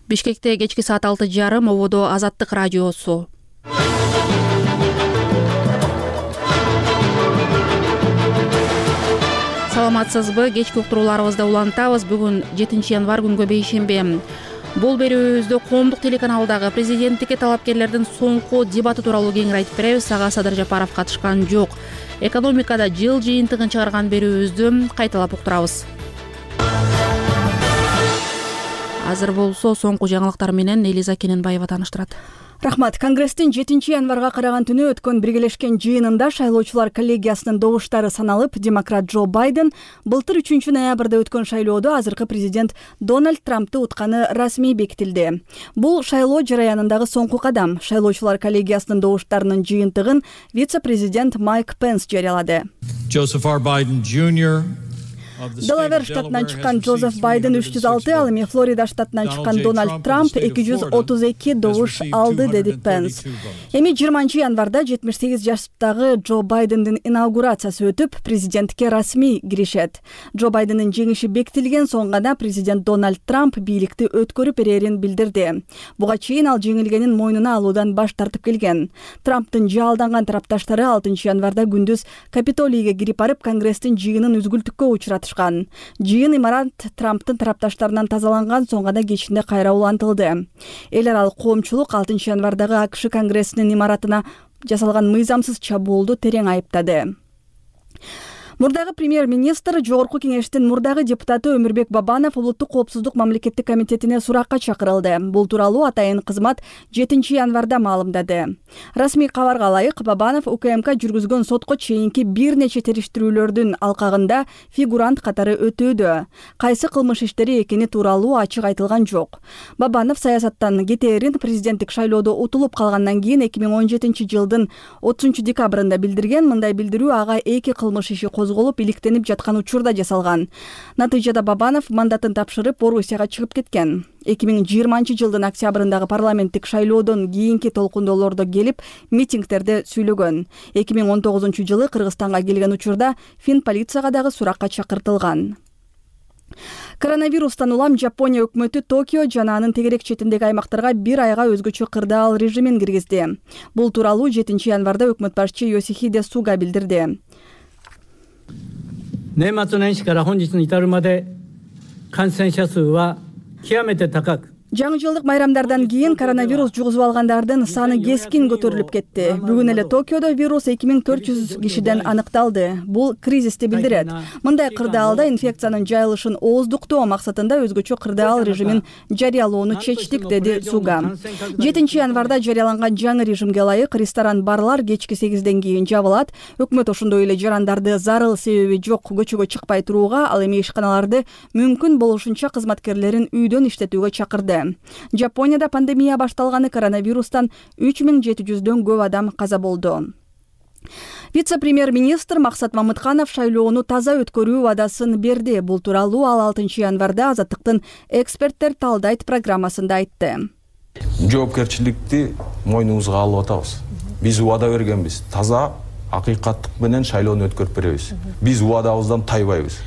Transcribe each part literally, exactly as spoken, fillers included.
Бишкекте кечки саат алты жарым ободо Азаттык радиосу. Саламатсызбы? Кечки уктурууларыбызды улантабыз. Бүгүн жетинчи январь күнгө бейшемби. Бул берүүбүздө коомдук телеканалдагы президенттикке талапкерлердин соңку дебаты тууралуу кеңири айтып беребиз. Ага Садыр Жапаров катышкан жок. Экономикада жыл жыйынтыгын чыгарган берүүбүздү кайталап уктурабыз. Азыр болсо соңку жаңылыктар менен Элиза Кененбаева тааныштырат. Рахмат. Конгресстин жетинчи январга караган түнү өткөн биргелешкен жыйынында шайлоочулар коллегиясынын добуштары саналып, демократ Джо Байден былтыр үчүнчү ноябрда өткөн шайлоодо азыркы президент Дональд Трампты утканы расмий бекитилди. Бул шайлоо жараянындагы соңку кадам. Шайлоочулар коллегиясынын добуштарынын жыйынтыгын вице-президент Майк Пенс жарыялады. Joseph R. Biden Junior Делавер штатынан чыккан Джозеф Байден үч жүз алты, ал эми Флорида штатынан чыккан Дональд Трамп эки жүз отуз эки добуш алды, деди Пенс. Эми жыйырманчы январда жетимиш сегиз жаштагы Джо Байдендин инаугурациясы өтүп, президентке расмий киришет. Джо Байдендин жеңиши бекитилген соң гана президент Дональд Трамп бийликти өткөрүп берерин билдирди. Буга чейин ал жеңилгенин мойнуна алуудан баш тартып келген. Трамптын жаалданган тарапташтары алтынчы январда күндүз Капитолийге кирип барып, Конгресстин жыйынын үзгүлтүккө учурат. Жыйын имарат Трамптын тарапташтарынан тазаланган соң гана кечинде кайра улантылды. Эл аралык коомчулук алтынчы январдагы АКШ Конгрессинин имаратына жасалган мыйзамсыз чабуулду терең айыптады. Мурдагы премьер-министр Жогорку кеңештин мурдагы депутаты Өмүрбек Бабанов улуттук коопсуздук мамлекеттик комитетине суракка чакырылды. Бул тууралуу атайын кызмат жетинчи январда маалымдады. Расмий кабарга ылайык, Бабанов УКМК жүргүзгөн сотко чейинки бир нече териштирүүлөрдүн алкагында фигурант катары өтүүдө. Кайсы кылмыш иштери экени тууралуу ачык айтылган жок. Бабанов саясаттан кетээрин президенттик шайлоодо утулуп калгандан кийин эки миң он жетинчи жылдын отузунчу декабрында билдирген. Мындай билдирүү ага эки кылмыш иши козголуп, иликтенип жаткан учурда жасалган. Натыйжада Бабанов мандатын тапшырып, Орусияга чыгып кеткен. эки миң жыйырманчы жылдын октябрындагы парламенттик шайлоодон кийинки толкундоолордо келип, митингтерде сүйлөгөн. эки миң он тогузунчу жылы Кыргызстанга келген учурда Фин полицияга дагы суракка чакыртылган. Коронавирустан улам Жапония өкмөтү Токио жана анын тегерек четиндеги аймактарга бир айга өзгөчө кырдаал режимин киргизди. Бул тууралуу жетинчи январда өкмөт башчы Йосихиде Суга билдирди. 年末年始から本日に至るまで感染者数は極めて高く Жаңы жылдык майрамдардан кийин коронавирус жугузуп алгандардын саны кескин көтөрүлүп кетти. Бүгүн эле Токиодо вирус эки миң төрт жүз кишиден аныкталды. Бул кризисти билдирет. Мындай кырдаалда инфекциянын жайылышын ооздуктоо максатында өзгөчө кырдаал режимин жарыялоону чечтик, деди Суга. жетинчи январда жарыяланган жаңы режимге ылайык ресторан, барлар кечки сегизден кийин жабылат. Өкмөт ошондой эле жарандарды зарыл себеби жок көчөгө чыкпай турууга, ал эми ишканаларды мүмкүн болушунча кызматкерлерин үйдөн иштетүүгө чакырды. Жапонияда пандемия башталганы коронавирустан үч миң жети жүздөн көп адам каза болду. Вице-премьер-министр Максат Мамытканов шайлоону таза өткөрүү вадасын берди. Бул тууралуу ал алтынчы январда Азаттыктын эксперттер талдайт программасында айтты. Жоопкерчиликти мойнубузга алып атабыз. Биз убада бергенбиз. Таза, акыйкаттык менен шайлоону өткөрүп беребиз. Биз убадабыздан тайбайбыз.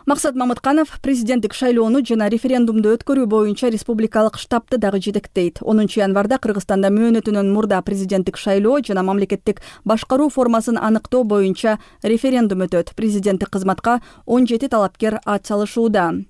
Максат Мамытканов президенттик шайлоону жана референдумду өткөрүү боюнча республикалык штабты дагы жетектейт. онунчу январда Кыргызстанда мөөнөтүнөн мурда президенттик шайлоо жана мамлекеттик башкаруу формасын аныктоо боюнча референдум өтөт. Президенттик кызматка он жети талапкер ат салышууда.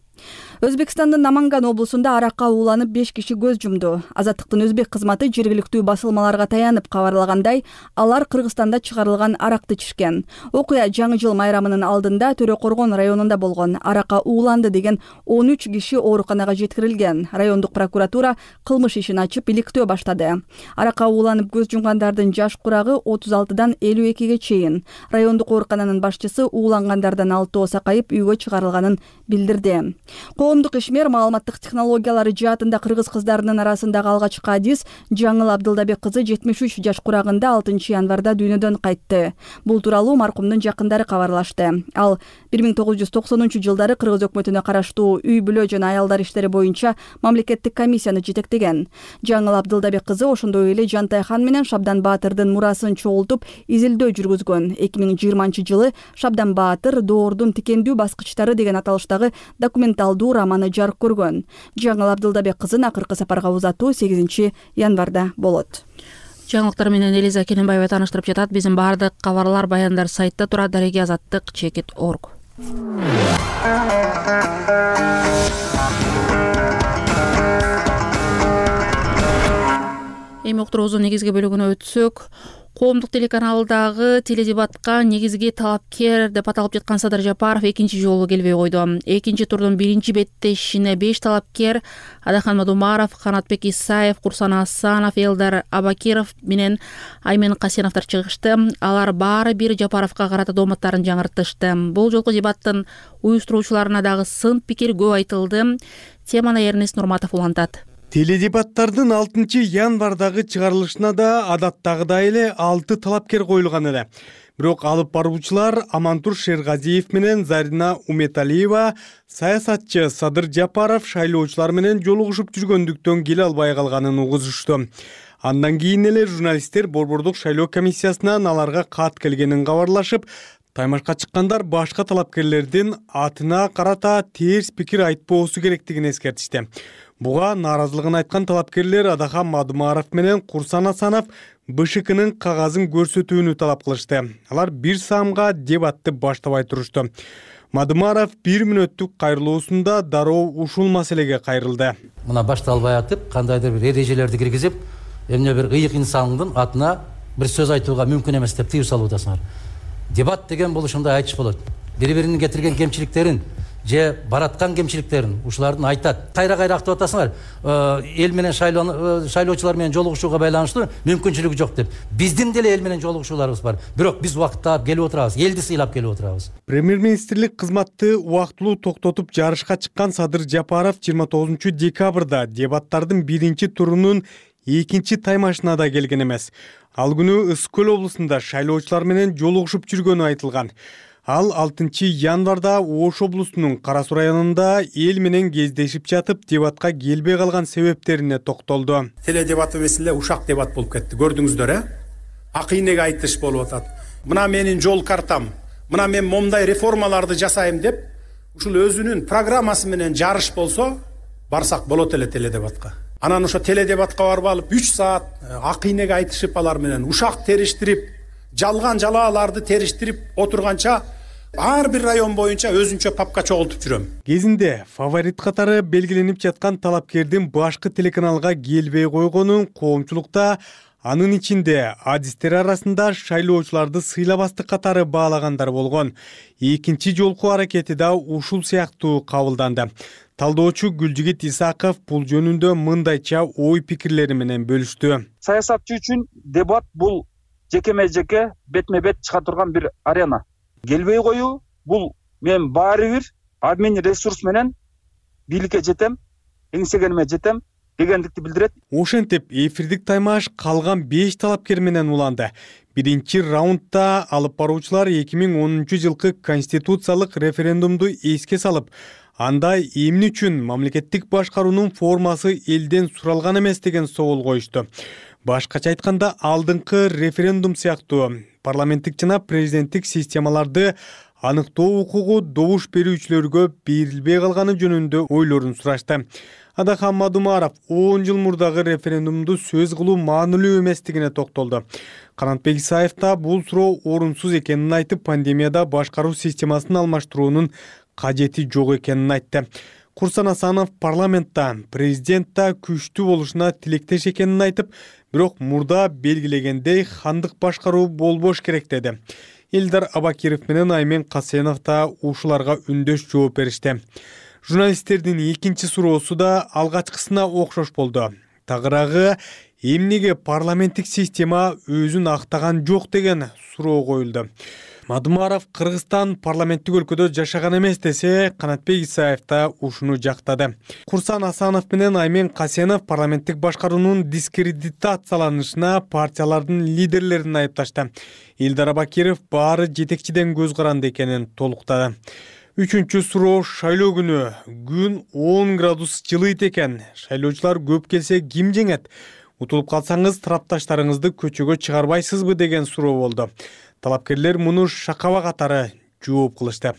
Өзбекстандын Наманган облусунда аракка ууланып беш киши көз жумду. Азаттыктын өзбек кызматы жергиликтүү басылмаларга таянып кабарлагандай, алар Кыргызстанда чыгарылган аракты ичишкен. Окуя жаңы жыл майрамынын алдында Төрөкоргон районунда болгон. Аракка ууланды деген он үч киши ооруканага жеткирилген. Райондук прокуратура кылмыш ишин ачып иликтөө баштады. Аракка ууланып көз жумгандардын жаш курагы отуз алтыдан элүү экиге чейин. Райондук оорукананын башчысы уулангандардан алтоо сакайып үйгө чыгарылганын билдирди. Коомдук ишмер маалыматтык технологиялары жаатында кыргыз кыздарынын арасындагы алгачкы адис Жаңыл Абдылдабек кызы жетимиш үч жаш курагында алтынчы январда дүйнөдөн кайтты. Бул тууралуу маркумдун жакындары кабарлашты. Ал бир миң тогуз жүз токсонунчу жылдары кыргыз өкмөтүнө караштуу үй бүлө жана аялдар иштери боюнча мамлекеттик комиссияны жетектеген. Жаңыл Абдылдабек кызы ошондой эле Жантай хан менен Шабдан Баатырдын мурасын чогултуп изилдөө жүргүзгөн. эки миң жыйырманчы жылы Шабдан Баатыр доордун тикендүү баскычтары деген аталыштагы документ президент алдуу романы жарык көргөн. Жаңыл Абдылдабек кызын акыркы сапарга узатуу сегизинчи январда болот. Жаңылыктар менен Элиза Келенбаева тааныштырып жатат. Биздин баардык кабарлар, баяндар сайтта турат. Дареги азаттык чекит точка орг. Эми уктуруубуздун негизги бөлүгүнө өтсөк, коомдук телеканалдагы теледебатка негизги талапкер деп аталып жаткан Садыр Жапаров экинчи жолу келбей койду. Экинчи турдун биринчи беттешине беш талапкер Адахан Мадумаров, Канатбек Исаев, Курсан Асанов, Элдар Абакиров менен Аймен Касеновдор чыгышты. Алар баары бир Жапаровго карата дооматтарын жаңыртышты. Бул жолку дебаттын уюштуруучуларына дагы сын пикир көп айтылды. Теманы Эрнест Нурматов улантат. Теледебаттардын алтынчы январдагы чыгарылышына да адаттагыдай эле алты талапкер коюлган эле. Бирок алып баруучулар Амантур Шергазиев менен Зарина Уметалиева, саясатчы Садыр Жапаров шайлоочулар менен жолугушуп жүргөндүктөн келе албай калганын угузушту. Андан кийин эле журналисттер Борбордук шайлоо комиссиясынан аларга кат келгенин кабарлашып, таймашка чыккандар башка талапкерлердин атына карата терс пикир айтпоосу керектигин эскертишти. Буга нааразылыгын айткан талапкерлер Адахан Мадумаров менен Курсан Асанов БШКнын кагазын көрсөтүүнү талап кылышты. Алар бир саамга дебатты баштабай турушту. Мадумаров бир мүнөттүк кайрылуусунда дароо ушул маселеге кайрылды. Мына башталбай атып, кандайдыр бир эрежелерди киргизип, эмне бир ыйык инсандын атына бир сөз айтууга мүмкүн эмес деп тыюу салуудасыңар. Дебат деген бул ушундай айтыш болот. Бири-биринин кетирген кемчиликтерин же бараткан кемчиликтерин ушулардын айтат. Кайра-кайра актап атасыңар, эл менен шайлоочулар менен жолугушууга байланыштуу мүмкүнчүлүгү жок деп. Биздин деле эл менен жолугушууларыбыз бар. Бирок биз убакыттап келип отурабыз, элди сыйлап келип отурабыз. Премьер-министрлик кызматты убактылуу токтотуп жарышка чыккан Садыр Жапаров жыйырма тогузунчу декабрда дебаттардын биринчи турунун экинчи таймашына да келген эмес. Ал күнү Ысык Көл облусунда шайлоочулар менен жолугушуп жүргөнү айтылган. Ал алтынчы январда Ош облусунун Кара Суу районунда эл менен кездешип жатып, дебатка келбей калган себептерине токтолду. Теледебат эмес эле ушак дебат болуп кетти. Көрдүңүздөр, э? Акыйнеге айтыш болуп атат. Мына менин жол картам, мына мен момундай реформаларды жасайм деп, ушул өзүнүн программасы менен жарыш болсо, барсак болот эле теледебатка. Анан ошо теледебатка барып алып үч саат акыйнеге айтышып алар менен ушак териштирип, жалган жалааларды териштирип отурганча ар бир район боюнча өзүнчө папка чогултуп жүрөм. Кезинде фаворит катары белгиленип жаткан талапкердин башкы телеканалга келбей койгонун коомчулукта, анын ичинде адистер арасында шайлоочуларды сыйлабастык катары баалагандар болгон. Экинчи жолку аракети да ушул сыяктуу кабылданды. Талдоочу Гүлжигит Исаков бул жөнүндө мындайча ой пикирлери менен бөлүштү. Саясатчы үчүн дебат бул жекеме жеке бетме бет чыга турган бир арена. Келбей коюу бул мен баары бир админ ресурс менен бийликке жетем, эңсегениме жетем дегендикти билдирет. Ошентип эфирдик таймаш калган беш талапкер менен уланды. Биринчи раундда алып баруучулар эки миң онунчу жылкы конституциялык референдумду эске салып, анда эмне үчүн мамлекеттик башкаруунун формасы элден суралган эмес деген соол коюшту. Башкача айтканда, алдыңкы референдум сыяктуу парламенттик жана президенттик системаларды аныктоо укугу добуш берүүчүлөргө берилбей калганы жөнүндө ойлорун сурашты. Адахан Мадумаров он жыл мурдагы референдумду сөз кылуу маанилүү эместигине токтолду. Канатбек Исаев да бул суроо орунсуз экенин айтып, пандемияда башкаруу системасын алмаштыруунун кажети жок экенин айтты. Курсан Асанов парламентта президентта күчтүү болушуна тилектеш экенин айтып, бирок мурда белгилегендей хандык башкаруу болбош керек деди. Элдар Абакиров менен Аймен Касенов да ушуларга үндөш жооп беришти. Журналисттердин экинчи суроосу да алгачкысына окшош болду. Тагыраагы эмнеге парламенттик система өзүн актаган жок деген суроо коюлду. Мадумаров Кыргызстан парламенттик өлкөдө жашаган эмес десе, Канатбек Исаев да ушуну жактады. Курсан Асанов менен Аймен Касенов парламенттик башкаруунун дискредитацияланышына партиялардын лидерлерин айыпташты. Элдар Абакиров баары жетекчиден көз каранды экенин толуктады. Үчүнчү суроо шайлоо күнү. Күн он градус жылыйт экен. Шайлоочулар көп келсе ким жеңет? Утулуп калсаңыз тарапташтарыңызды көчөгө чыгарбайсызбы деген суроо болду. Талапкерлер муну шакаба катары жооп кылышты.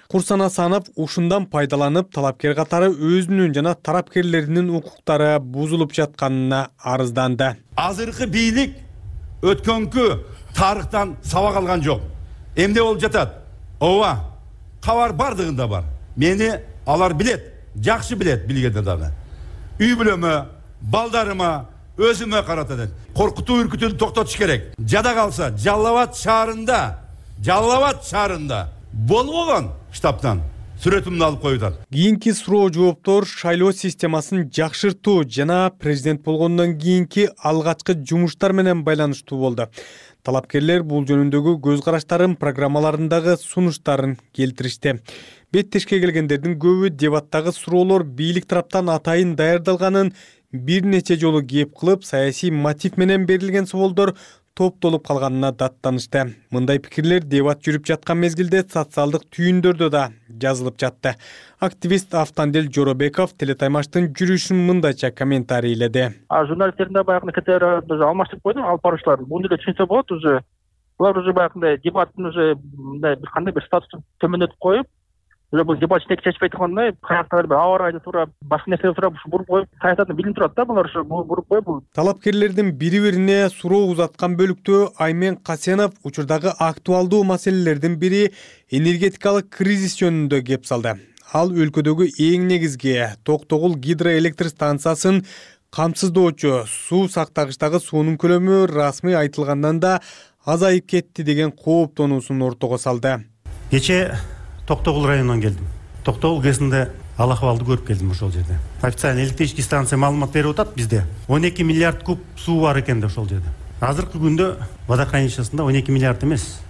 Курсан Асанов ушундан пайдаланып, талапкер катары өзүнүн жана тарапкерлеринин укуктары бузулуп жатканына арызданды. Азыркы бийлик өткөнкү тарыхтан сабак алган жок. Эмне болуп жатат? Ооба, кабар бардыгында бар. Мени алар билет, жакшы билет билгенде дагы. Үй бүлөмө, балдарыма, өзүмө каратат. Коркутуу үркүтүүнү токтотуш керек. Жада калса, Жалал Абад шаарында, Жалал Абад шаарында болбогон штабтан сүрөтүмдү алып коюптар. Кийинки суроо жооптор шайлоо системасын жакшыртуу жана президент болгондон кийинки алгачкы жумуштар менен байланыштуу болду. Талапкерлер бул жөнүндөгү көз караштарын, программаларындагы сунуштарын келтиришти. Беттешке келгендердин көбү дебаттагы суроолор бийлик тараптан атайын даярдалганын бир нече жолу кеп кылып, саясий мотив менен берилген суолдор топтолуп калганына даттанышты. Мындай пикирлер дебат жүрүп жаткан мезгилде социалдык түйүндөрдө да жазылып жатты. Активист Автандел Жоробеков Телетаймаштын жүрүшүн мындайча комментарийледи. Журналисттердин да баягы кетер алмаштырып койду, алып баруучулар. Муну эле түшүнсө болот, уже булар уже баягы дебаттын уже мындай бир кандай бир статусун төмөндөтүп коюп, уже бул дебат чечпей чечпей тургандай, каяктагы бир аба ырайда туурап, башка нерсе туурап буруп коюп, саясатын билинип турат да, булар ушу буруп коюп бул. Талапкерлердин бири-бирине суроо узаткан бөлүктө Аймен Касенов учурдагы актуалдуу маселелердин бири энергетикалык кризис жөнүндө кеп салды. Ал өлкөдөгү эң негизги Токтогул гидроэлектр станциясын камсыздоочу суу сактагычтагы суунун көлөмү расмий айтылгандан да азайып кетти деген кооптонуусун ортого салды. Кече Токтогул районунан келдим. Токтогул ГЭСинде ал акыбалды көрүп келдим ошол жерде. Официально электрический станция маалымат берип атат бизде. он эки миллиард куб суу бар экен да ошол жерде. Азыркы күндө водохранилищесинде он эки миллиард эмес,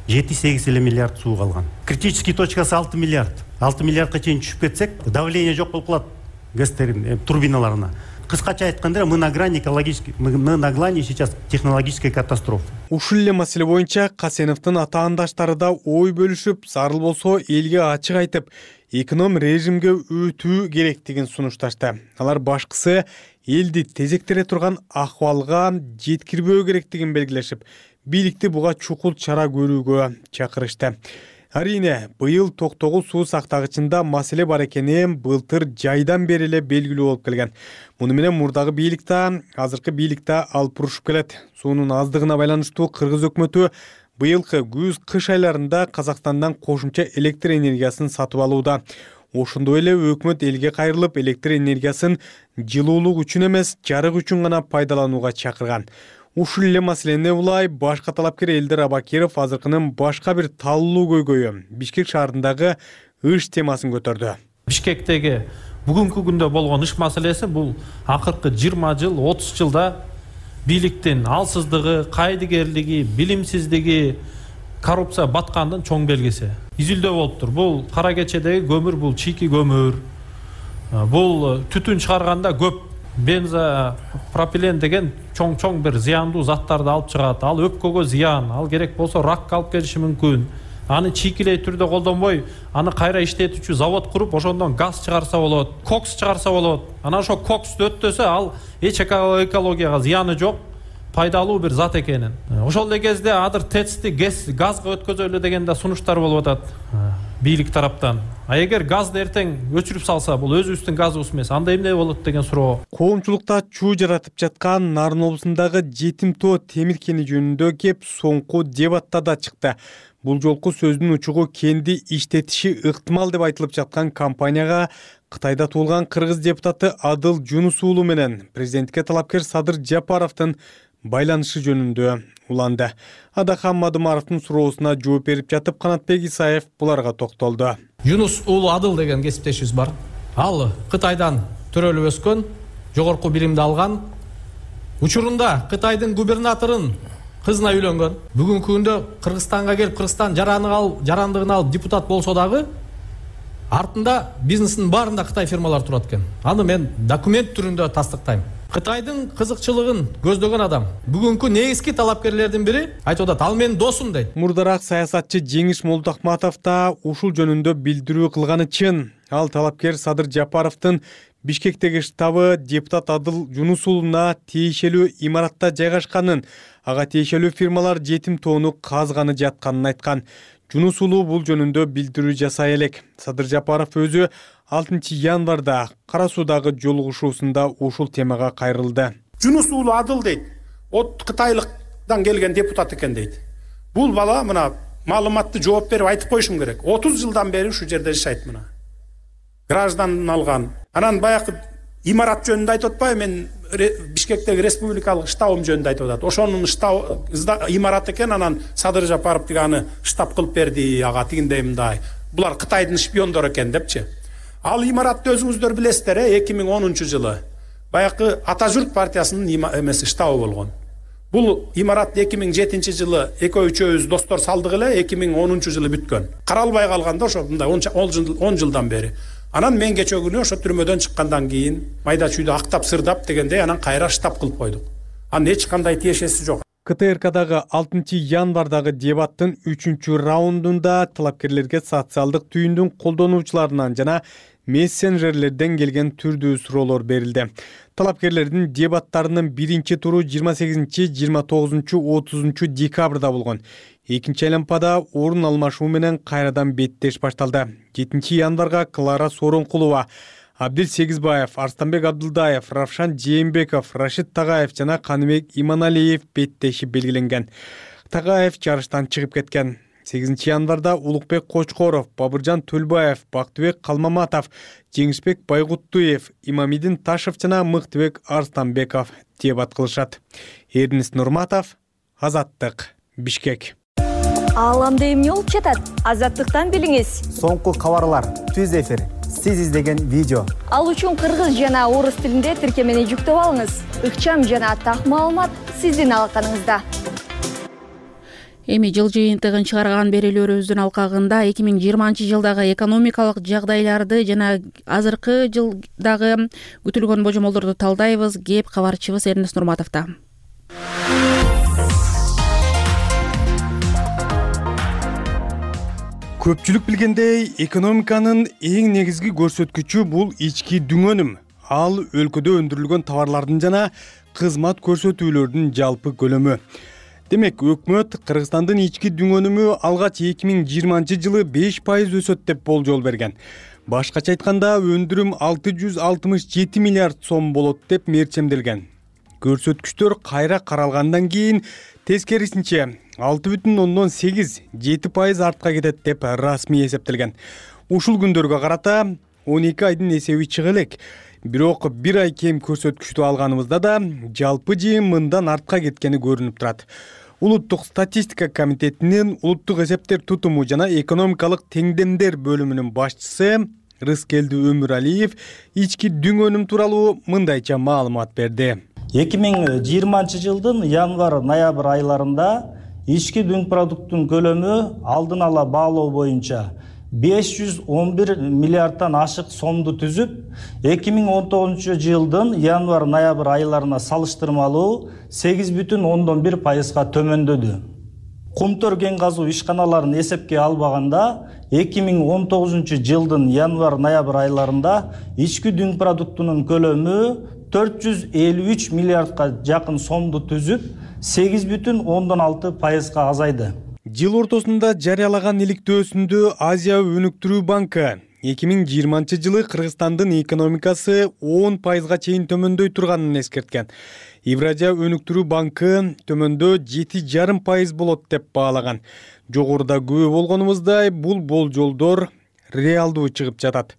жети сегиз эле миллиард суу калган. Критический точкасы алты миллиард. алты миллиардка чейин түшүп кетсек, давление жок болуп калат ГЭСтердин турбиналарына. Кыскача айтканда, мы на грани экологической, мы на грани сейчас технологической катастрофы. Ушул эле маселе боюнча Касеновдун атаандаштары да ой бөлүшүп, зарыл болсо элге ачык айтып, эконом режимге өтүү керектигин сунушташты. Алар башкысы элди тезектере турган акыбалга жеткирбөө керектигин белгилешип, бийликти буга чукул чара көрүүгө чакырышты. Арине, быйыл Токтогул суу сактагычында маселе бар экени былтыр жайдан бери эле белгилүү болуп келген. Муну менен мурдагы бийлик да, азыркы бийлик да алып урушуп келет. Суунун аздыгына байланыштуу Кыргыз өкмөтү быйылкы күз-кыш айларында Казакстандан кошумча электр энергиясын сатып алууда. Ошондой эле өкмөт элге кайрылып, электр энергиясын жылуулук үчүн эмес, жарык үчүн гана пайдаланууга чакырган. Ушул эле маселени улай башка талапкер Элдер Абакиров азыркынын башка бир таллуу көйгөйү Бишкек шаарындагы ыш темасын көтөрдү. Бишкектеги бүгүнкү күндө болгон ыш маселеси бул акыркы жыйырма жыл, отуз жылда бийликтин алсыздыгы, кайдыгерлиги, билимсиздиги, коррупция баткандын чоң белгиси. Изилдөө болуптур. Бул кара кечедеги көмүр, бул чийки көмүр. Бул түтүн чыгарганда көп бензо пропилен деген чоң-чоң бир зыяндуу заттарды алып чыгат. Ал өпкөгө зыян, ал керек болсо ракка алып келиши мүмкүн. Аны чийкилей түрдө колдонбой, аны кайра иштетүүчү завод куруп, ошондон газ чыгарса болот, кокс чыгарса болот. Анан ошо коксту өттөсө, ал эч экологияга зыяны жок, пайдалуу бир зат экенин. Ошол эле кезде адыр ТЭЦти газга өткөзөлү деген да сунуштар болуп атат бийлик тараптан. А эгер газды эртең өчүрүп салса, бул өзүбүздүн газыбыз эмес, анда эмне болот деген суроо. Коомчулукта чуу жаратып жаткан Нарын облусундагы Жетим тоо темир кени жөнүндө кеп соңку дебатта да чыкты. Бул жолку сөздүн учугу кенди иштетиши ыктымал деп айтылып жаткан компанияга Кытайда туулган кыргыз депутаты Адыл Жунус уулу менен президентке талапкер Садыр Жапаровдун байланышы жөнүндө уланды. Адахан Мадымаровдун суроосуна жооп берип жатып, Канатбек Исаев буларга токтолду. Жунус уулу Адыл деген кесиптешибиз бар. Ал Кытайдан төрөлүп өскөн, жогорку билимди алган. Учурунда Кытайдын губернаторун кызына үйлөнгөн. Бүгүнкү күндө Кыргызстанга келип, Кыргызстан жарандыгын алып депутат болсо дагы, артында бизнесинин баарында Кытай фирмалары турат экен. Аны мен документ түрүндө тастыктайм. Кытайдын кызыкчылыгын көздөгөн адам бүгүнкү негизги талапкерлердин бири айтып атат, ал менин досум дейт. Мурдараак саясатчы Жеңиш Молдохматов да ушул жөнүндө билдирүү кылганы чын. Ал талапкер Садыр Жапаровдун Бишкектеги штабы депутат Адыл Жунус уулуна тиешелүү имаратта жайгашканын, ага тиешелүү фирмалар Жетим тоону казганы жатканын айткан. Жунус уулу бул жөнүндө билдирүү жасай элек. Садыр Жапаров өзү алтынчы январда Кара Суудагы жолугушуусунда ушул темага кайрылды. Жунус уулу Адыл дейт, от Кытайлыктан келген депутат экен дейт. Бул бала мына маалыматты жооп берип айтып коюшум керек. отуз жылдан бери ушул жерде жашайт мына. Гражданын алган. Анан баягы имарат жөнүндө айтып атпайбы, мен Бишкектеги республикалык штабым жөнүндө айтып атат. Ошонун штаб имарат экен, анан Садыр Жапаров тиги аны штаб кылып берди, ага тигиндей мындай. Булар Кытайдын шпиондору экен депчи. Ал имаратты өзүңүздөр билесиздер, эки миң онунчу жылы баягы Ата журт партиясынын эмеси штабы болгон. Бул имарат эки миң жетинчи жылы экөө үчөөбүз достор салдык эле, эки миң онунчу жылы бүткөн. Каралбай калганда ошо мындай он жылдан бери. Анан мен кечээ күнү ошо түрмөдөн чыккандан кийин майда чүйдө актап сырдап дегендей анан кайра штаб кылып койдук. Анын эч кандай тиешеси жок. К Т Р Кдагы алтынчы январдагы дебаттын үчүнчү раундунда талапкерлерге социалдык түйүндүн колдонуучуларынан жана мессенджерлерден келген түрдүү суроолор берилди. Талапкерлердин дебаттарынын биринчи туру жыйырма сегизинчи, жыйырма тогузунчу, отузунчу декабрда болгон. Экинчи айланпада орун алмашуу менен кайрадан беттеш башталды. жетинчи январга Клара Соронкулова, Абдил Сегизбаев, Арстанбек Абдылдаев, Равшан Жээнбеков, Рашид Тагаев жана Каныбек Иманалиев беттеши белгиленген. Тагаев жарыштан чыгып кеткен. сегизинчи январда Улукбек Кочкоров, Бабыржан Төлбаев, Бактыбек Калмаматов, Жеңишбек Байгуттуев, Имамидин Ташев жана Мыктыбек Арстанбеков дебат кылышат. Эрнис Нурматов, Азаттык, Бишкек. Ааламда эмне болуп жатат? Азаттыктан билиңиз. Соңку кабарлар, түз эфир, сиз издеген видео. Ал үчүн кыргыз жана орус тилинде тиркемени жүктөп алыңыз. Ыкчам жана так маалымат сиздин алаканыңызда. Эми жыл жыйынтыгын чыгарган берүүлөрүбүздүн алкагында эки миң жыйырманчы жылдагы экономикалык жагдайларды жана азыркы жылдагы күтүлгөн божомолдорду талдайбыз. Кеп кабарчыбыз Эрнис Нурматовдо. Көпчүлүк билгендей, экономиканын эң негизги көрсөткүчү бул ички дүңөнүм. Ал өлкөдө өндүрүлгөн товарлардын жана кызмат көрсөтүүлөрдүн жалпы көлөмү. Демек, өкмөт Кыргызстандын ички дүңөнүмү алгач эки миң жыйырманчы жылы беш пайыз өсөт деп болжол берген. Башкача айтканда, өндүрүм алты жүз алтымыш жети миллиард сом болот деп мерчемделген. Көрсөткүчтөр кайра каралгандан кийин тескерисинче алты бүтүн ондон сегиз жети пайыз артка кетет деп расмий эсептелген. Ушул күндөргө карата он эки айдын эсеби чыга элек. Бирок бир ай кем көрсөткүчтү алганыбызда да жалпы жыйын мындан артка кеткени көрүнүп турат. Улуттук статистика комитетинин улуттук эсептер тутуму жана экономикалык теңдемдер бөлүмүнүн башчысы Рыскелди Өмүралиев ички дүңөнүм тууралуу мындайча маалымат берди. эки миң жыйырманчы жылдын январ-ноябрь айларында ички дүң продукттун көлөмү алдын ала баалоо боюнча беш жүз он бир миллиардтан ашык сомду түзүп, эки миң он тогузунчу жылдын январ-ноябрь айларына салыштырмалуу сегиз бүтүн ондон бир пайызга төмөндөдү. Кумтөр кен казуу ишканаларын эсепке албаганда, эки миң он тогузунчу жылдын январ-ноябрь айларында ички дүң продуктунун көлөмү төрт жүз элүү үч миллиардка жакын сомду түзүп, сегиз бүтүн ондон алты пайызга азайды. Жыл ортосунда жарыялаган иликтөөсүндө Азия өнүктүрүү банкы эки миң жыйырманчы жылы Кыргызстандын экономикасы он пайызга чейин төмөндөй турганын эскерткен. Евразия өнүктүрүү банкы төмөндөө жети жарым пайыз болот деп баалаган. Жогоруда күбө болгонубуздай, бул болжолдор реалдуу чыгып жатат.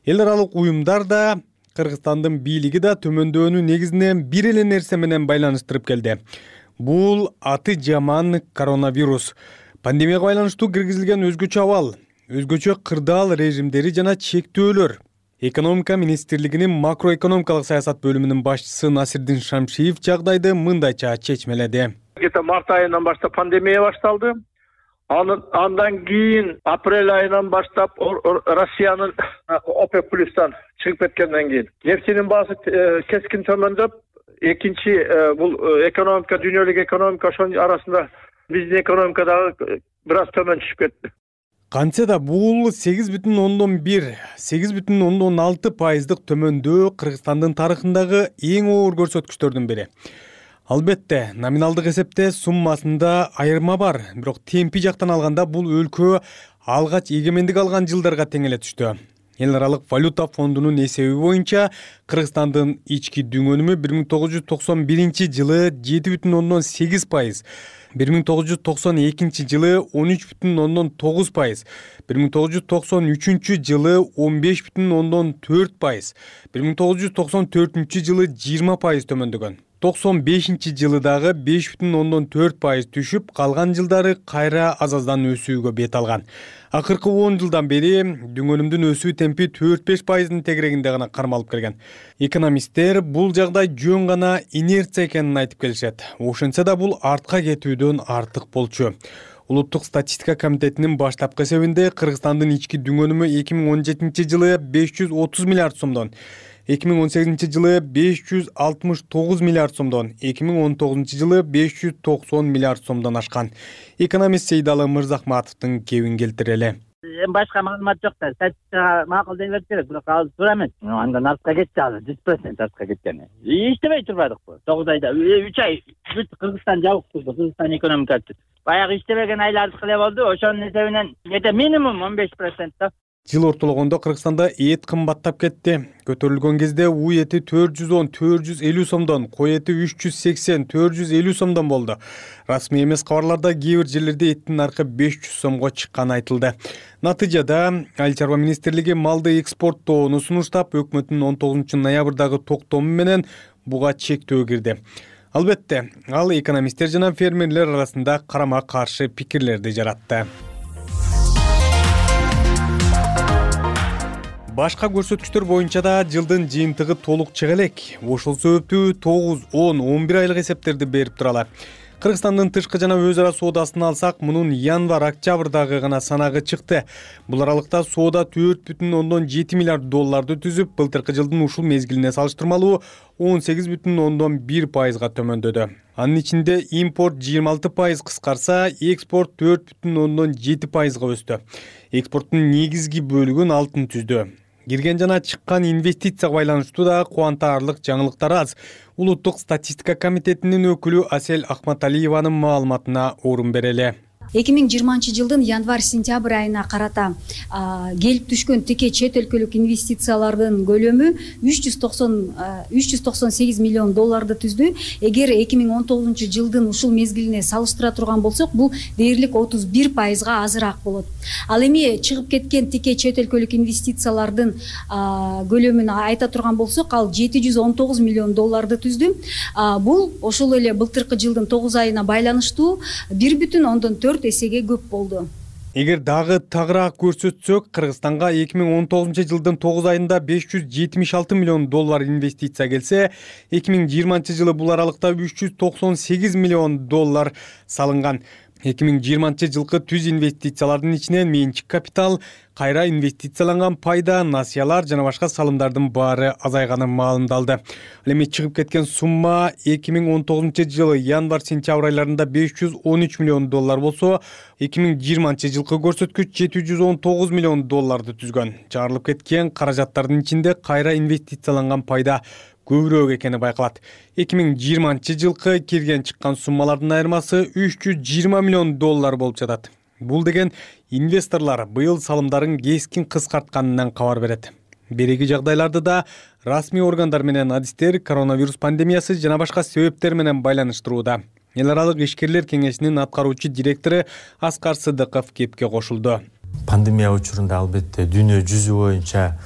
Эл аралык уюмдар да Кыргызстандын бийлиги да төмөндөөнү негизинен бир эле нерсе менен байланыштырып келди. Бул аты жаман коронавирус. Пандемияга байланыштуу киргизилген өзгөчө абал, өзгөчө кырдаал режимдери жана чектөөлөр. Экономика министрлигинин макроэкономикалык саясат бөлүмүнүн башчысы Насирдин Шамшиев жагдайды мындайча чечмеледи. Где-то март айынан баштап пандемия башталды. Андан кийин апрель айынан баштап Россиянын ОПЕК плюстан чыгып кеткенден кийин нефтинин баасы кескин төмөндөп, экинчи бул экономика, дүйнөлүк экономика ошонун арасында биздин экономика дагы бир аз төмөн түшүп кетти. Кантсе да бул сегиз бүтүн ондон бир, сегиз бүтүн ондон алты пайыздык төмөндөө Кыргызстандын тарыхындагы эң оор көрсөткүчтөрдүн бири. Албетте, номиналдык эсепте суммасында айырма бар, бирок темпи жактан алганда бул өлкө алгач эгемендик алган жылдарга тең эле түштү. Эл аралык валюта фондунун эсеби боюнча Кыргызстандын ички дүң өнүмү бир миң тогуз жүз токсон биринчи жылы жети бүтүн ондон сегиз пайыз, бир миң тогуз жүз токсон экинчи жылы он үч бүтүн ондон тогуз пайыз, бир миң тогуз жүз токсон үчүнчү жылы он беш бүтүн ондон төрт пайыз, бир миң тогуз жүз токсон төртүнчү жылы жыйырма пайыз төмөндөгөн. токсон бешинчи жылы дагы беш бүтүн ондон төрт пайыз түшүп, калган жылдары кайра аз-аздан өсүүгө бет алган. Акыркы он жылдан бери дүң өнүмдүн өсүү темпи төрт беш пайыздын тегерегинде гана кармалып келген. Экономисттер бул жагдай жөн гана инерция экенин айтып келишет. Ошентсе да бул артка кетүүдөн артык болчу. Улуттук статистика комитетинин баштапкы эсебинде Кыргызстандын ички дүң өнүмү эки миң он жетинчи жылы беш жүз отуз миллиард сомдон, эки миң он сегизинчи жылы беш жүз алтымыш тогуз миллиард сомдон, эки миң он тогузунчу жылы беш жүз токсон миллиард сомдон ашкан. Экономист Сейдалы Мырзахматовдун кебин келтирели. Эми башка маалымат жок да, статистикага макул дей берсе керек, бирок азыр туура эмес. Андан артка кетти азыр, жүз процент артка кеткен. Иштебей турбадыкпы? тогуз айда үч ай бүт Кыргызстан жабык турду, Кыргызстан экономикасы. Баягы иштебеген айлардыкы эле болду, ошонун эсебинен эте минимум он беш процент да. Жыл ортологондо Кыргызстанда эт кымбаттап кетти. Көтөрүлгөн кезде у эти төрт жүз он төрт жүз элүү сомдон, кой эти үч жүз сексен төрт жүз элүү сомдон болду. Расмий эмес кабарларда кээ бир жерлерде эттин наркы беш жүз сомго чыкканы айтылды. Натыйжада Айыл чарба министрлиги малды экспорттоону сунуштап, өкмөттүн он тогузунчу ноябрдагы токтому менен буга чектөө кирди. Албетте, ал экономисттер жана фермерлер арасында карама-каршы пикирлерди жаратты. Башка көрсөткүчтөр боюнча да жылдын жыйынтыгы толук чыга элек. Ошол себептүү тогуз, он, он бир айлык эсептерди берип туралар. Кыргызстандын тышкы жана өз ара соодасын алсак, мунун январь-октябрдагы гана санагы чыкты. Бул аралыкта соода төрт бүтүн ондон жети миллиард долларды түзүп, былтыркы жылдын ушул мезгилине салыштырмалуу он сегиз бүтүн ондон бир пайызга төмөндөдү. Анын ичинде импорт жыйырма алты пайыз кыскарса, экспорт төрт бүтүн ондон жети пайызга өстү. Экспорттун негизги бөлүгүн алтын түздү. Кирген жана чыккан инвестицияга байланыштуу да кубантарлык жаңылыктар аз. Улуттук статистика комитетинин өкүлү Асель Ахматалиеванын маалыматына орун берели. эки миң жыйырманчы жылдын январь-сентябрь айына карата келип түшкөн тике чет өлкөлүк инвестициялардын көлөмү үч жүз токсон сегиз миллион долларды түздү. Эгер эки миң он тогузунчу жылдын ушул мезгилине салыштыра турган болсок, бул дээрлик отуз бир пайызга азыраак болот. Ал эми чыгып кеткен тике чет өлкөлүк инвестициялардын көлөмүн айта турган болсок, ал жети жүз он тогуз миллион долларды түздү. Бул ошол эле былтыркы жылдын тогуз айына байланыштуу бир бүтүн ондон төрт эсеге көп болду. Эгер дагы тагыраак көрсөтсөк, Кыргызстанга эки миң он тогузунчу жылдын тогуз айында беш жүз жетимиш алты миллион доллар инвестиция келсе, эки миң жыйырманчы жылы бул аралыкта үч жүз токсон сегиз миллион доллар салынган. эки миң жыйырманчы жылкы түз инвестициялардын ичинен менчик капитал, кайра инвестицияланган пайда, насыялар жана башка салымдардын баары азайганы маалымдалды. Ал эми чыгып кеткен сумма эки миң он тогузунчу жылы январь-сентябрь айларында беш жүз он үч миллион доллар болсо, эки миң жыйырманчы жылкы көрсөткүч жети жүз он тогуз миллион долларды түзгөн. Чыгарылып кеткен каражаттардын ичинде кайра инвестицияланган пайда көбүрөөк экени байкалат. эки миң жыйырманчы жылкы кирген чыккан суммалардын айырмасы үч жүз жыйырма миллион доллар болуп жатат. Бул деген инвесторлор быйыл салымдарын кескин кыскартканынан кабар берет. Береги жагдайларды да расмий органдар менен адистер коронавирус пандемиясы жана башка себептер менен байланыштырууда. Эл аралык ишкерлер кеңешинин аткаруучу директору Аскар Сыдыков кепке кошулду. Пандемия учурунда албетте дүйнө жүзү боюнча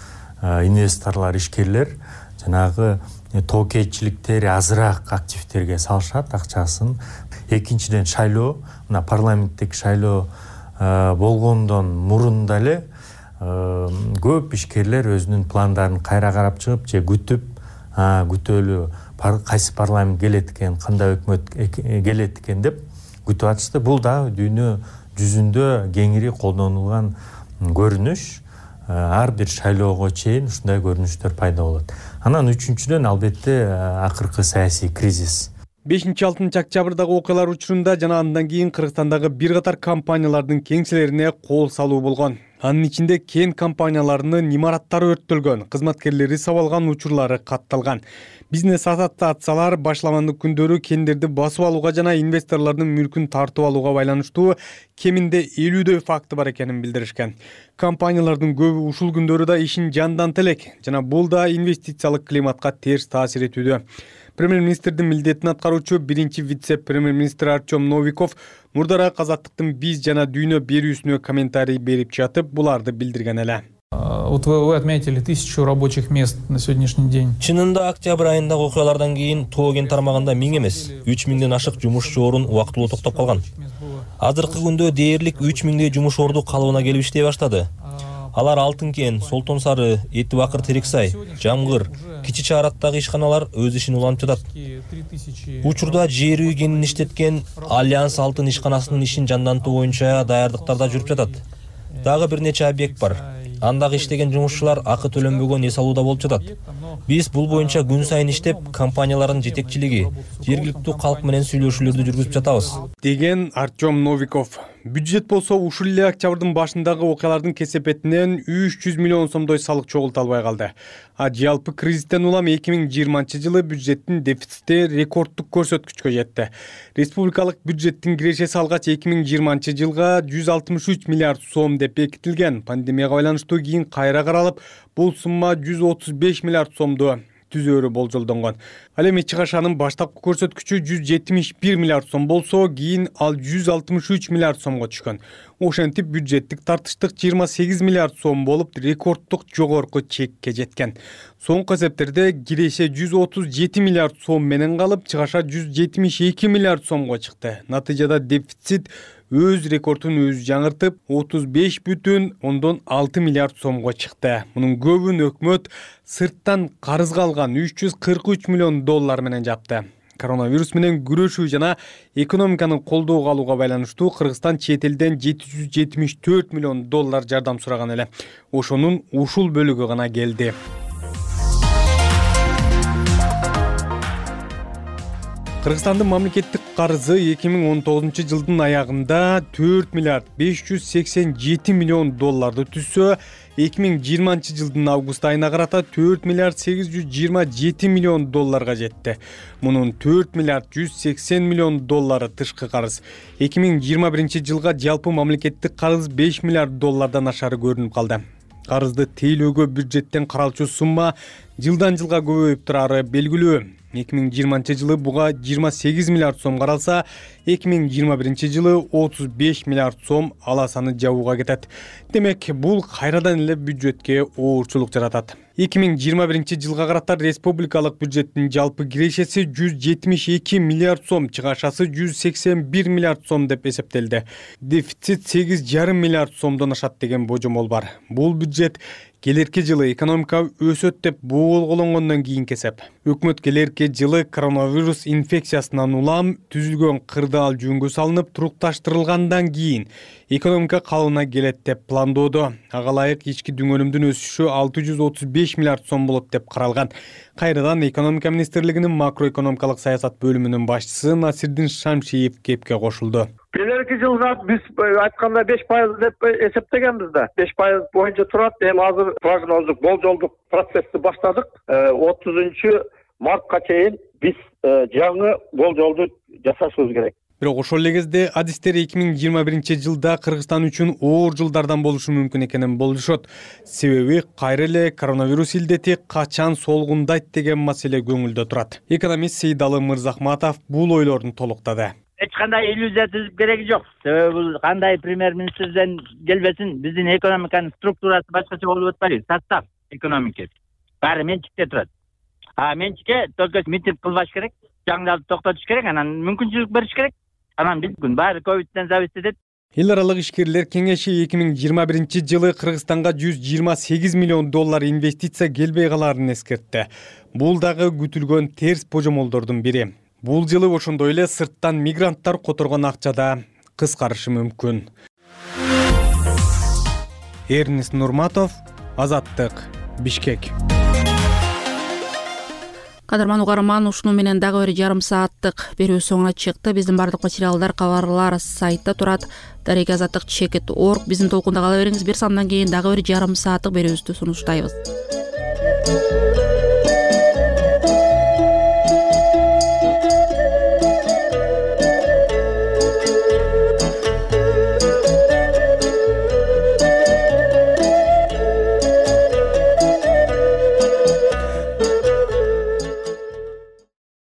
инвесторлор, ишкерлер жанагы тоокейчиликтери азыраак активтерге салышат акчасын. Экинчиден шайлоо, мына парламенттик шайлоо болгондон мурун дале көп ишкерлер өзүнүн пландарын кайра карап чыгып же күтүп, күтөлү кайсы парламент келет экен, кандай өкмөт келет экен деп күтүп атышты. Бул да дүйнө жүзүндө кеңири колдонулган көрүнүш. Ар бир шайлоого чейин ушундай көрүнүштөр пайда болот. Анан үчүнчүдөн албетте акыркы саясий кризис. бешинчи-алтынчы октябрдагы окуялар учурунда жана андан кийин Кыргызстандагы бир катар компаниялардын кеңселерине кол салуу болгон. Анын ичинде кен компанияларынын имараттары өрттөлгөн, кызматкерлери сабалган учурлары катталган. Бизнес ассоциациялар башламандык күндөрү кендерди басып алууга жана инвесторлордун мүлкүн тартып алууга байланыштуу кеминде элүүдөй факты бар экенин билдиришкен. Компаниялардын көбү ушул күндөрү да ишин жандантып элек жана бул да инвестициялык климатка терс таасир этүүдө. Премьер-министрдин милдетин аткаруучу биринчи вице-премьер-министр Артем Новиков мурдара Азаттыктын биз жана дүйнө берүүсүнө комментарий берип жатып, буларды билдирген эле. Вот вы, вы отметили тысячу рабочих мест на сегодняшний день. Чынында октябрь айындагы окуялардан кийин тоо кен тармагында миң эмес, үч миңден ашык жумушчу орун убактылуу токтоп калган. Азыркы күндө дээрлик үч миңдей жумуш орду калыбына келип иштей баштады. Алар Алтын кен, Солтон Сары, Эти Бакыр Терексай, Жамгыр, Кичи Чаараттагы ишканалар өз ишин улантып жатат. Учурда жер үй кенин иштеткен Альянс Алтын ишканасынын ишин жандантуу боюнча даярдыктарда жүрүп жатат. Дагы бир нече объект бар. Андагы иштеген жумушчулар акы төлөнбөгөн эс алууда болуп жатат. Биз бул боюнча күн сайын иштеп, компаниялардын жетекчилиги, жергиликтүү калк менен сүйлөшүүлөрдү жүргүзүп жатабыз, деген Артем Новиков. Бюджет болсо ушул эле октябрдын башындагы окуялардын кесепетинен үч жүз миллион сомдой салык чогулта албай калды. А жалпы кризистен улам эки миң жыйырманчы жылы бюджеттин дефицити рекорддук көрсөткүчкө жетти. Республикалык бюджеттин кирешеси алгач эки миң жыйырманчы жылга жүз алтымыш үч миллиард сом деп бекитилген. Пандемияга байланыштуу кийин кайра каралып, бул сумма жүз отуз беш миллиард сомду түзөөрү болжолдонгон. Ал эми чыгашанын баштапкы көрсөткүчү жүз жетимиш бир миллиард сом болсо, кийин ал жүз алтымыш үч миллиард сомго түшкөн. Ошентип бюджеттик тартыштык жыйырма сегиз миллиард сом болуп, рекорддук жогорку чекке жеткен. Соңку эсептерде киреше жүз отуз жети миллиард сом менен калып, чыгаша жүз жетимиш эки миллиард сомго чыкты. Натыйжада дефицит өз рекордун өзү жаңыртып, отуз беш бүтүн ондон алты миллиард сомго чыкты. Мунун көбүн өкмөт сырттан карызга алган үч жүз кырк үч миллион доллар менен жапты. Коронавирус менен күрөшүү жана экономиканы колдоого алууга байланыштуу Кыргызстан чет элден жети жүз жетимиш төрт миллион доллар жардам сураган эле. Ошонун ушул бөлүгү гана келди. Кыргызстандын мамлекеттик карызы эки миң он тогузунчу жылдын аягында төрт миллиард беш жүз сексен жети миллион долларды түзсө, эки миң жыйырманчы жылдын август айына карата төрт миллиард сегиз жүз жыйырма жети миллион долларга жетти. Мунун төрт миллиард жүз сексен миллион доллары тышкы карыз. эки миң жыйырма биринчи жылга жалпы мамлекеттик карыз беш миллиард доллардан ашары көрүнүп калды. Карызды тейлөөгө бюджеттен каралчу сумма жылдан жылга көбөйүп турары белгилүү. эки миң жыйырманчы жылы буга жыйырма сегиз миллиард сом каралса, эки миң жыйырма биринчи жылы отуз беш миллиард сом аласаны жабууга кетет. Демек, бул кайрадан эле бюджетке оорчулук жаратат. эки миң жыйырма биринчи жылга карата республикалык бюджеттин жалпы кирешеси жүз жетимиш эки миллиард сом, чыгашасы жүз сексен бир миллиард сом деп эсептелди. Дефицит сегиз жарым миллиард сомдон ашат деген божомол бар. Бул бюджет келерки жылы экономика өсөт деп болгологондон кийинки эсеп. Өкмөт келерки жылы коронавирус инфекциясынан улам түзүлгөн кырдаал жөнгө салынып турукташтырылгандан кийин экономика калыбына келет деп пландоодо. Ага ылайык ички дүңөлүмдүн өсүшү алты жүз отуз беш миллиард сом болот деп каралган. Кайрадан экономика министрлигинин макроэкономикалык саясат бөлүмүнүн башчысы Насирдин Шамшиев кепке кошулду. Келерки жылга биз айтканда беш пайыз деп эсептегенбиз да. беш пайыз боюнча турат. Эми азыр прогноздук, болжолдук процессти баштадык. отузунчу мартка чейин биз жаңы болжолду жасашыбыз керек. Бирок ошол эле кезде адистер эки миң жыйырма биринчи жылда Кыргызстан үчүн оор жылдардан болушу мүмкүн экенин болжошот. Себеби кайра эле коронавирус илдети качан солгундайт деген маселе көңүлдө турат. Экономист Сейдалы Мырзахматов бул ойлорун толуктады. Эч кандай иллюзия түзүп кереги жок. Себеби бул кандай премьер-министрден келбесин, биздин экономиканын структурасы башкача болуп атпайбы? Состав экономикасы баары менчикте турат. А менчикке только митинг кылбаш керек, жаңдарды токтотуш керек, анан мүмкүнчүлүк бериш керек. Анан биз күн баары ковидтен зависит этет. Эл аралык ишкерлер кеңеши эки миң жыйырма биринчи жылы Кыргызстанга жүз жыйырма сегиз миллион доллар инвестиция келбей калаарын эскертти. Бул дагы күтүлгөн терс божомолдордун бири. Бул жылы ошондой эле сырттан мигранттар которгон акча да кыскарышы мүмкүн. Эрнест Нурматов, Азаттык, Бишкек. Кадырман угарман, ушуну менен дагы бир жарым сааттык берүү соңуна чыкты. Биздин бардык материалдар кабарлар сайтта турат. Дарек азаттык чекит точка орг. Биздин толкунда кала бериңиз. Бир сандан кийин дагы бир жарым сааттык берүүбүздү сунуштайбыз.